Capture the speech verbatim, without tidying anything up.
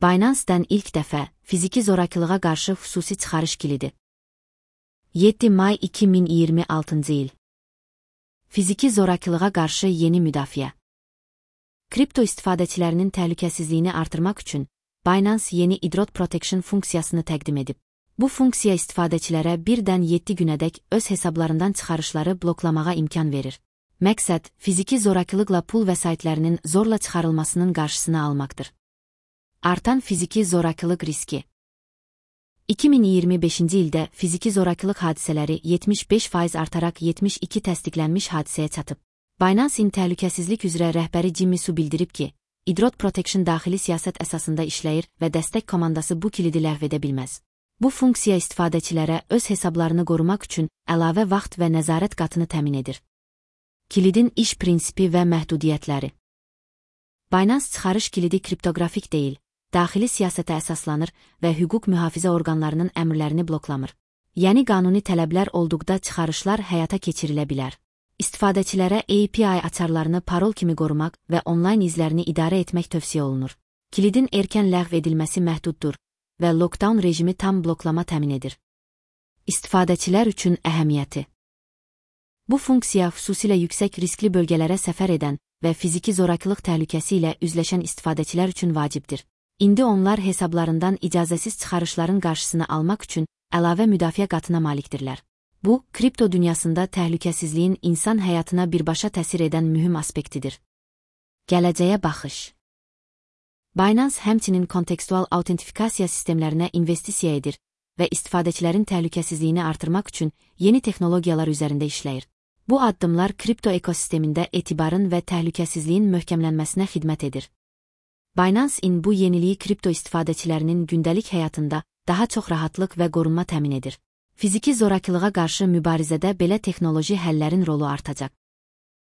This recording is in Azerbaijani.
Binance-dən ilk dəfə fiziki zorakılığa qarşı xüsusi çıxarış kilidi. yeddi may iki min iyirmi altıncı il. Fiziki zorakılığa qarşı yeni müdafiə. Kripto istifadəçilərinin təhlükəsizliyini artırmaq üçün Binance yeni Idrot Protection funksiyasını təqdim edib. Bu funksiya istifadəçilərə birdən yeddi günədək öz hesablarından çıxarışları bloklamağa imkan verir. Məqsəd, fiziki zorakılıqla pul vəsaitlərinin zorla çıxarılmasının qarşısını almaqdır. Artan fiziki zorakılıq riski. iki min iyirmi beşinci ildə fiziki zorakılıq hadisələri yetmiş beş faiz artaraq yetmiş iki təsdiqlənmiş hadisəyə çatıb. Binance-in təhlükəsizlik üzrə rəhbəri Jimmy Su bildirib ki, Idrot Protection daxili siyasət əsasında işləyir və dəstək komandası bu kilidi ləğv edə bilməz. Bu funksiya istifadəçilərə öz hesablarını qorumaq üçün əlavə vaxt və nəzarət qatını təmin edir. Kilidin iş prinsipi və məhdudiyyətləri. Binance çıxarış kilidi kriptoqrafik deyil, daxili siyasətə əsaslanır və hüquq mühafizə orqanlarının əmrlərini bloklamır. Yəni qanuni tələblər olduqda çıxarışlar həyata keçirilə bilər. İstifadəçilərə A P I açarlarını parol kimi qorumaq və onlayn izlərini idarə etmək tövsiyə olunur. Kilidin erkən ləğv edilməsi məhduddur və lockdown rejimi tam bloklama təmin edir. İstifadəçilər üçün əhəmiyyəti. Bu funksiya xüsusilə yüksək riskli bölgələrə səfər edən və fiziki zorakılıq təhlükəsi ilə üzləşən istifadəçilər üçün vacibdir. İndi onlar hesablarından icazəsiz çıxarışların qarşısını almaq üçün əlavə müdafiə qatına malikdirlər. Bu, kripto dünyasında təhlükəsizliyin insan həyatına birbaşa təsir edən mühüm aspektidir. Gələcəyə baxış. Binance həmçinin kontekstual autentifikasiya sistemlərinə investisiya edir və istifadəçilərin təhlükəsizliyini artırmaq üçün yeni texnologiyalar üzərində işləyir. Bu addımlar kripto ekosistemində etibarın və təhlükəsizliyin möhkəmlənməsinə xidmət edir. Binance-in bu yeniliyi kripto istifadəçilərinin gündəlik həyatında daha çox rahatlıq və qorunma təmin edir. Fiziki zorakılığa qarşı mübarizədə belə texnoloji həllərin rolu artacaq.